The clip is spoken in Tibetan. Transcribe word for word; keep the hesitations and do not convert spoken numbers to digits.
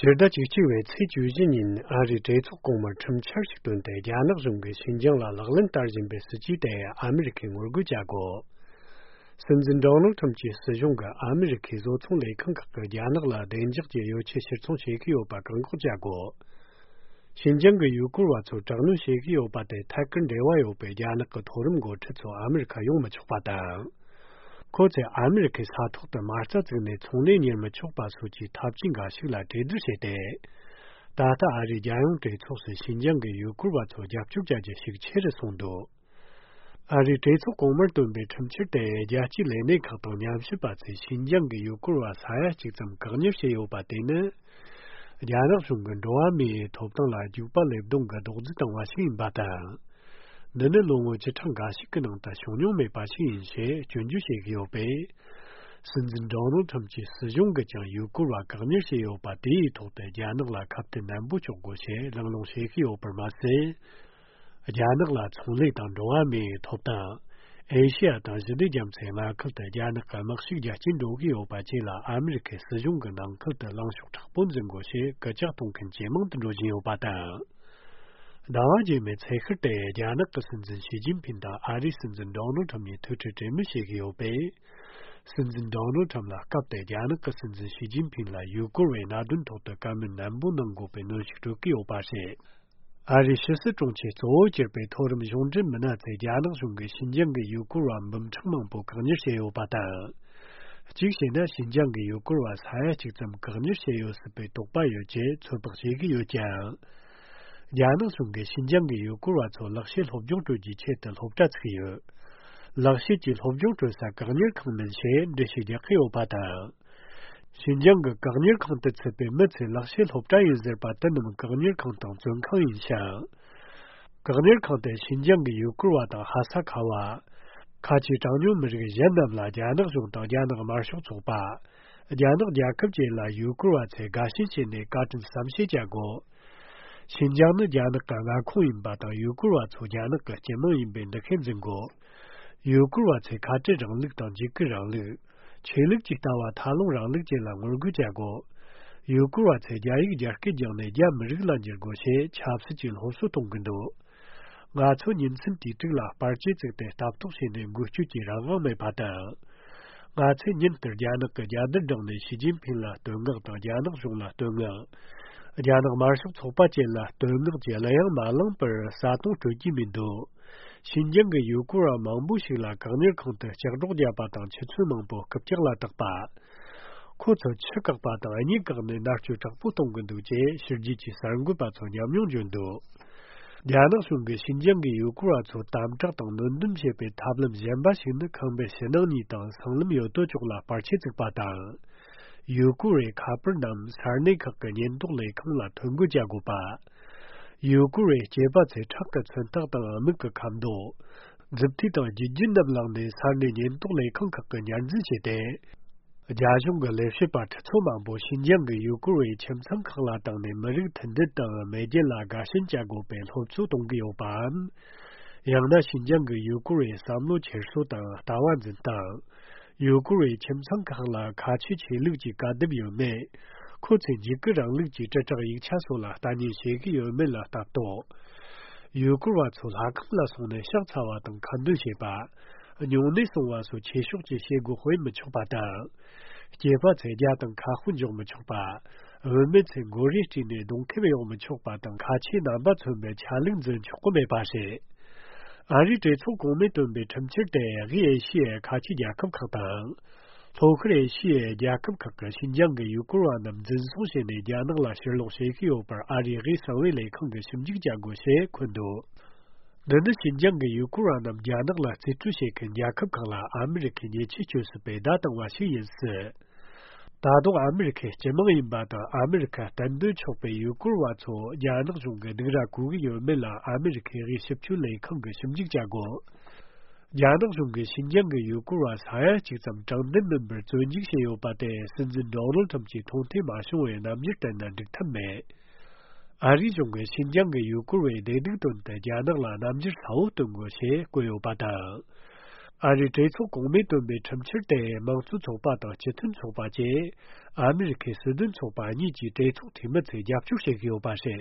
ཕྱི་ཟླ་བཅུ་གཅིག་པའི་ཚེས་བཅུ་བཞི་ཉིན་ཨ་རིའི་གྲོས་ཚོགས་གོང་མར་ཁྲིམས་འཆར་ཞིག་བཏོན་ཏེ། རྒྱ་ནག་གཞུང་གིས་ཞིན་ཅང་ལ་ལག་ལེན་བསྟར་བཞིན་པའི་སྲིད་ཇུས་དེ་ཨ་མི་རི་ཁས་ངོ་རྒོལ་བྱ་དགོས། སྲིད་འཛིན་ཌོ་ནལ་ཁྲམ་གྱི་སྲིད་གཞུང་གིས་ཨ་མི་རི་ཁའི་བཟོ་ཚོང་ལས་ཁང་ཁག་གིས་རྒྱ་ནག་ལ་བདེ་འཇགས་ཀྱི་ཡོ་ཆས་ཕྱིར་ཚོང་བྱེད་ཀྱི་ཡོད་པ་བཀག་འགོག་བྱ་དགོས། ཞིན་ཅང་གི་ཡུ་གུར་བ་ཚོར་དྲག་གནོན་བྱེད་ཀྱི་ཡོད་པ་དེ་ཐད་ཀར་འབྲེལ་བ་ཡོད་པའི་རྒྱ་ནག་གི་མཐོ་རིམ་འགོ་ཁྲིད་ཚོ་ཨ་མི་རི་ཁ་ཡོང་མི་ཆོག་པ་དང་། ཁོ་ཚོས་ཨ་མི་རི་ཁའི་ས་ཐོག་ཏུ་མ་རྩ་བཙུགས་ནས་ཚོང་ལས་གཉེར་མི་ཆོག་པ་སོགས་ཀྱི་ཐབས་ཇུས་འགའ་ཞིག་ལ་གྲོས་བསྡུར་བྱས་ཏེ། ད་ལྟ་ཨ་རིའི་རྒྱལ་ཡོངས་གྲོས་ཚོགས་སུ་ཞིན་ཅང་གི་ཡུ་གུར་བ་ཚོར་རྒྱབ་སྐྱོར་བྱ་རྒྱུ་ཞིག་ཆེ་རུ་སོང་འདུག། ཨ་རིའི་གྲོས་ཚོགས་གོང་མར་བཏོན་པའི་ཁྲིམས་འཆར་དེ་རྒྱལ་སྤྱིའི་ལས་སྣེ་ཁག་དང་ཉམས་ཞིབ་པ་ཚོས་ཞིན་ཅང་གི་ཡུ་གུར་བ་ས་ཡ་གཅིག་ཙམ་བཀག་ཉར་བྱས་ཡོད་པ་དེ་ནི། རྒྱ་ནག་གཞུང་གིས་འགྲོ་བ་མིའི་ཐོབ་ཐང་ལ་རྒྱུག་པ་ལེབ་རྡུང་གི་རྡོག་རྫིས་བཏང་བ་ཞིག་ཡིན་པ་དང་། འདི་ནི་ལོ་ངོ་བཅུ་ཕྲག་འགའ་ཞིག་གི་ནང་དུ་བྱུང་མྱོང་མེད་པ་ཞིག་ཡིན་ཞེས་སྐྱོན་བརྗོད་བྱེད་ཀྱི་ཡོད་པས། སྲིད་འཛིན་ཌོ་ནལ་ཁྲམ་གྱི་སྲིད་གཞུང་གིས་ཀྱང་ཡུ་གུར་བ་བཀག་ཉར་བྱས་ཡོད་པ་དེའི་ཐོག་ཏུ་རྒྱ་ནག་ལ་ཁ་གཏད་ནན་པོ་གཅོག་དགོས་ཞེས་གླེང་སློང་བྱེད་ཀྱི་ཡོད་པར་མ་ཟད། རྒྱ་ནག་ལ་ཚོང་ལས་དང་འགྲོ་བ་མིའི་ཐོབ་ཐང་། ཨེ་ཤི་ཡ་དང་ཞི་བདེ་རྒྱ་མཚོའི་མངའ་ཁུལ་དུ་རྒྱ་ནག་གི་དམག་ཤུགས་རྒྱ་སྐྱེད་འགྲོ་གི་ཡོད་པ་བཅས་ལ་ཨ་མི་རི་ཁའི་སྲིད་གཞུང་གིས་ནང་ཁུལ་དུ་ལངས་ཕྱོགས་དྲག་པོ་འཛིན་དགོས་ཞེས་སྐུལ་ལྕག་གཏོང་མཁན་ཇེ་མང་དུ་འགྲོ་བཞིན་ཡོད་པ་དང་། ཟླ་བ་རྗེས་མའི་ཚེས་ཤར་དེ་རྒྱ་ནག་གི་སྲིད་འཛིན་ཞི་ཅིན་ཕིན་དང་ཨ་རིའི་སྲིད་འཛིན་ཌོ་ནལ་ཁྲམ་གཉིས་ཐུག་འཕྲད་གྲོས་མོལ་བྱེད་ཀྱི་ཡོད་པས། སྲིད་འཛིན་ཌོ་ནལ་ཁྲམ་ལ་སྐབས་དེར་རྒྱ་ནག་གི་སྲིད་འཛིན་ཞི་ཅིན་ཕིན་ལ་ཡུ་གུར་བའི་གནད་དོན་ཐོག་ཏུ་བཀའ་མོལ་ནན་པོ་གནང་དགོས་པའི་གནོན་ཤུགས་སྤྲོད་ཀྱི་ཡོད་པ་རེད། ཨ་རིའི་ཕྱི་སྲིད་དྲུང་ཆེ་གཙོ་བོ་གྱུར་པའི་མཐོ་རིམ་གཞུང་འབྲེལ་མི་སྣ་ཚོས་རྒྱ་ནག་གཞུང་གིས་ཞིན་ཅང་གི་ཡུ་གུར་བ་འབུམ་ཕྲག་མང་པོ་བཀག་ཉར་བྱས་ཡོད་པ་དང་། གཅིག་བྱས་ན་ཞིན་ཅང་གི་ཡུ་གུར་བ་ས་ཡ་གཅིག་ཙམ་བཀག་ཉར་བྱས་ཡོད་སྲིད་པའི་དོགས་པ་ཡོད་ཅེས་ཚོད་དཔག་བྱེད་ཀྱི་ཡོད་ཀྱང་། རྒྱ་ནག་གཞུང་གིས་ཞིན་ཅང་གི་ཡུ་གུར་བ་ཚོ་ལག་ཤེས་སློབ་སྦྱོང་སྤྲོད་རྒྱུའི་ཆེད་དུ་སློབ་གྲྭ་བཙུགས་ཡོད། ལག་ཤེས་ཀྱི་སློབ་སྦྱོང་སྤྲོད་ས་བཀག་ཉར་ཁང་མིན་ཞེས་འགྲེལ་བཤད་རྒྱག་གི་ཡོད་པ་དང་། ཞིན་ཅང་གི་བཀག་ཉར་ཁང་དུ་ཚུད་པའི་མི་ཚོས་ལག་ཤེས་སློབ་གྲྭ་ཡིན་ཟེར་པ་དེ་རྣམས་བཀག་ཉར་ཁང་དང་བཙོན་ཁང་ཡིན་ཞིང་། བཀག་ཉར་ཁང་དེ་ཞིན་ཅང་གི་ཡུ་གུར་བ་དང་ཧ་ས་ཁ་བ། ཁ་ཆེའི་གྲངས་ཉུང་མི་རིགས་གཞན་རྣམས་ལ་རྒྱ་ནག་གཞུང་དང་རྒྱ་ནག་དམར་ཤོག་ཚོགས་པ། རྒྱ་ནག་རྒྱལ་ཁབ་བཅས་ལ་ཡུ་གུར་བ་ཚོས་དགའ་ཞེན་བྱས་ནས་བཀའ་དྲིན་བསམ་ཤེས་བྱ་དགོས། ཞིན་ཅང་ནི་རྒྱ་ནག་གི་མངའ་ཁོངས་ཡིན་པ་དང་ཡུ་གུར་བ་ཚོ་རྒྱ་ནག་གི་སྤྱི་དམངས་ཡིན་པའི་འདུ་ཤེས་འཛིན་དགོས། ཡུ་གུར་བ་ཚོས་ཁ་བྲལ་རིང་ལུགས་དང་འཇིགས་སྐུལ་རིང་ལུགས། ཆོས་ལུགས་ཀྱི་ལྟ་བ་ཐལ་རླུང་རིང་ལུགས་བཅས་ལ་ངོ་རྒོལ་བྱ་དགོས། ཡུ་གུར་བ་ཚོས་རྒྱ་ཡིག་རྒྱ་སྐད་སྦྱངས་ནས་རྒྱ་མི་རིགས་ལ་འགྱུར་དགོས་ཞེས་ཆབ་སྲིད་ཀྱི་སློབ་གསོ་གཏོང་གི་འདུག། ང་ཚོ་ཉིན་མཚན་དུས་དྲུག་ལ་པར་ཆས་བཙུགས་ཏེ་ལྟ་རྟོག་བྱས་ནས་འགུལ་སྐྱོད་ཀྱི་རང་དབང་མེད་པ་དང་། ང་ཚོས་ཉིན་ལྟར་རྒྱ་ནག་གི་རྒྱལ་དར་བསྒྲེངས་ནས་ཞི་ཅིན་ཕིན་ལ་བསྟོད་བསྔགས་དང་རྒྱ་ནག་གཞུང་ལ་བསྟོད་བསྔགས། རྒྱ་ནག་དམར་ཤོག་ཚོགས་པ་བཅས་ལ་བསྟོད་བསྔགས་ཀྱི་གླུ་དབྱངས་མ་བླངས་པར་བརྩེ་དུང་སྤྲོད་ཀྱི་མི་འདུག། ཞིན་ཅང་གི་ཡུ་གུར་བ་མང་པོ་ཞིག་ལ་བཀག་ཉར་ཁང་དུ་ལྕགས་སྒྲོག་བརྒྱབ་པ་དང་ཆུ་ཚོད་མང་པོ་རྐུབ་བཀྱག་ལ་བཏགས་པ། ཁོ་ཚོར་ཆུ་བཀག་པ་དང་གཉིད་བཀག་ནས་མནར་གཅོད་དྲག་པོ་གཏོང་གི་འདུག་ཅེས་ཕྱི་རྒྱལ་གྱི་གསར་འགོད་པ་ཚོར་ཉམས་མྱོང་བརྗོད་འདུག། རྒྱ་ནག་གཞུང་གིས་ཞིན་ཅང་གི་ཡུ་གུར་བ་ཚོར་དམ་དྲག་དང་གནོན་སྡུམ་བྱེད་པའི་ཐབས་ལམ་གཞན་པ་ཞིག་ནི་ཁང་པའི་ཕྱི་ནང་གཉིས་དང་སྲང་ལམ་ཡོད་དོ་ཅོག་ལ་པར་ཆས་བཙུགས་པ་དང་། ཡུ་གུར་བའི་ཁ་པར་རྣམས་ས་གནས་ཁག་གི་ཉེན་རྟོག་ལས་ཁང་ལ་ཐོ་འགོད་བྱ་དགོས་པ། ཡུ་གུར་བའི་སྐྱེས་པ་ཚོས་ཁྲག་གི་མཚོན་རྟགས་དང་མིག་གི་ཁ་མདོག། མཛུབ་ཐེལ་དང་རྒྱུ་རྒྱུ་རྣམས་བླངས་ནས་ས་གནས་ཉེན་རྟོག་ལས་ཁང་ཁག་གིས་ཉར་འཛིན་བྱས་ཏེ། རྒྱ་གཞུང་གི་ལས་བྱེད་པ་ཁྲི་ཚོ་མང་པོ་ཞིན་ཅང་གི་ཡུ་གུར་བའི་ཁྱིམ་ཚང་ཁག་ལ་བཏང་ནས་མི་རིགས་མཐུན་སྒྲིལ་དང་མེས་རྒྱལ་ལ་དགའ་ཞེན་བྱ་དགོས་པའི་སློབ་གསོ་གཏོང་གི་ཡོད་པའམ། ཡང་ན་ཞིན་ཅང་གི་ཡུ་གུར་བའི་བསམ་བློ་འཁྱེར་སོ་དང་ལྟ་བ་འཛིན་སྟངས། ཡུ་གུར་བའི་ཁྱིམ་ཚང་ཁག་ལ་ཁ་ཆེའི་ཆོས་ལུགས་ཀྱི་བཀའ་སྡེབ་ཡོད་མེད། ཁོ་ཚོས་འཇིགས་སྐུལ་རིང་ལུགས་ཀྱི་དྲིལ་བསྒྲགས་ཡིག་ཆ་སོགས་ལ་ལྟ་ཉན་བྱེད་ཀྱི་ཡོད་མེད་ལ་ལྟ་རྟོག། ཡུ་གུར་བ་ཚོ་ལྷ་ཁང་ལ་སོང་ནས་ཕྱག་འཚལ་བ་དང་ཁ་འདོན་བྱེད་པ། སྨྱུང་གནས་སྲུང་བ་སོགས་ཆོས་ཕྱོགས་ཀྱི་བྱེད་སྒོ་སྤེལ་མི་ཆོག་པ་དང་། སྐྱེས་པ་ཚོས་རྒྱ་དང་ཁ་དཔོན་འཇོག་མི་ཆོག་པ། བུད་མེད་ཚོས་མགོ་རས་དཀྲིས་ནས་གདོང་ཁེབས་གཡོག་མི་ཆོག་པ་དང་། ཁ་ཆེའི་རྣམ་པ་མཚོན་པའི་ཆ་ལུགས་འཛིན་ཆོག་གི་མེད་པ་རེད། ཨ་རིའི་གྲོས་ཚོགས་གོང་མས་བཏོན་པའི་ཁྲིམས་འཆར་དེ་དབུས་ཨེ་ཤི་ཡའི་ཁ་ཆེའི་རྒྱལ་ཁབ་ཁག་དང་། ལྷོ་ཤར་ཨེ་ཤི་ཡའི་རྒྱལ་ཁབ་ཁག་གིས་ཞིན་ཅང་གི་ཡུ་གུར་བ་རྣམས་འཛིན་བཟུང་བྱས་ནས་རྒྱ་ནག་ལ་ཕྱིར་ལོག་བྱེད་ཀྱི་ཡོད་པར་ཨ་རིའི་དབུས་གསང་བའི་ལས་ཁང་གིས་ཞིབ་འཇུག་བྱ་དགོས་ཞེས་འཁོད་འདུག། འདི་ནི་ཞིན་ཅང་གི་ཡུ་གུར་བ་རྣམས་རྒྱ་ནག་ལ་རྩིས་སྤྲོད་བྱེད་མཁན་རྒྱལ་ཁབ་ཁག་ལ་ཨ་མི་རི་ཁས་ཉེས་ཆད་གཅོད་སྲིད་པའི་བརྡ་བཏང་བ་ཞིག་ཡིན་སྲིད། ད་དུང་ཨ་མི་རི་ཁའི་སྤྱི་དམངས་ཡིན་པ་དང་ཨ་མི་རི་ཁ་གཏན་སྡོད་ཆོག་པའི་ཡུ་གུར་བ་ཚོ་རྒྱ་ནག་གཞུང་གིས་སྡིགས་ར་གོ་གི་ཡོད་མེད་ལ་ཨ་མི་རི་ཁའི་དབུས་ཞིབ་དཔྱོད་ལས་ཁང་གིས་ཞིབ་འཇུག་བྱ་དགོས། རྒྱ་ནག་གཞུང་གིས་ཞིན་ཅང་གི་ཡུ་གུར་བ་ས་ཡ་གཅིག་ཙམ་དྲང་བདེན་མིན་པར་བཙོན་འཇུག་བྱས་ཡོད་པ་དེ་སྲིད་འཛིན་ཌོ་ནལ་ཁྲམ་གྱིས་མཐོང་ཐོས་མ་བྱུང་བའི་རྣམ་འགྱུར་བསྟན་ན་འགྲིག་ཐབས་མེད། ཨ་རིའི་གཞུང་གིས་ཞིན་ཅང་གི་ཡུ་གུར་བའི་བདེ་སྡུག་དོན་དུ་རྒྱ་ནག་ལ་རྣམ་འགྱུར་གསལ་བོ་སྟོན་དགོས་ཞེས་བཀོད་ཡོད་པ་དང་། ཨ་རིའི་གྲོས་ཚོགས་གོང་མས་བཏོན་པའི་ཁྲིམས་འཆར་དེ་མང་གཙོའི་ཚོགས་པ་དང་སྤྱི་མཐུན་ཚོགས་པ་བཅས་ཨ་མི་རི་ཁའི་སྲིད་དོན་ཚོགས་པ་གཉིས་ཀྱི་གྲོས་ཚོགས་འཐུས་མི་ཚོས་རྒྱབ་སྐྱོར་བྱེད་ཀྱི་ཡོད་པ་རེད།